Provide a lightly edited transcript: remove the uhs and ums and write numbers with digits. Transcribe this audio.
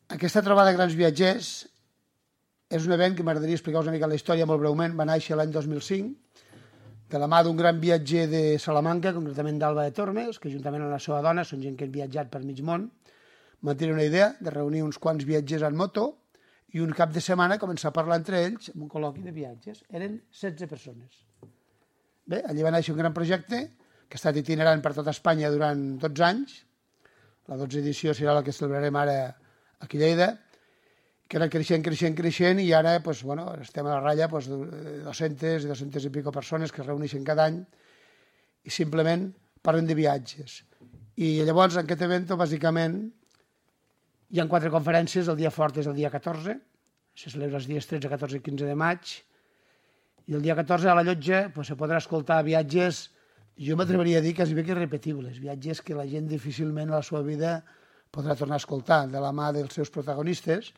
Aquesta trobada de grans viatgers és un event que m'agradaria explicar una mica la història molt breument. Va néixer l'any 2005, de la mà d'un gran viatger de Salamanca, concretament d'Alba de Tormes, que juntament amb la seva dona, són gent que han viatjat per mig món, van tenir una idea de reunir uns quants viatgers en moto i un cap de setmana començar a parlar entre ells en un col·loqui de viatges. Eren 16 persones. Bé, allí va néixer un gran projecte que ha estat itinerant per tota Espanya durant 12 anys. La 12a edició serà la que celebrarem ara aquí a Lleida, que era creixent, i ara estem a la ratlla de 200 i 200 i pico persones que es reuneixen cada any i simplement parlen de viatges. I llavors, en aquest event, bàsicament, hi ha 4 conferències. El dia fort és el dia 14, se celebra els dies 13, 14 i 15 de maig, i el dia 14 a la llotja se podrà escoltar viatges, jo m'atreveria a dir quasi bé que irrepetibles, viatges que la gent difícilment a la seva vida podrà tornar a escoltar, de la mà dels seus protagonistes,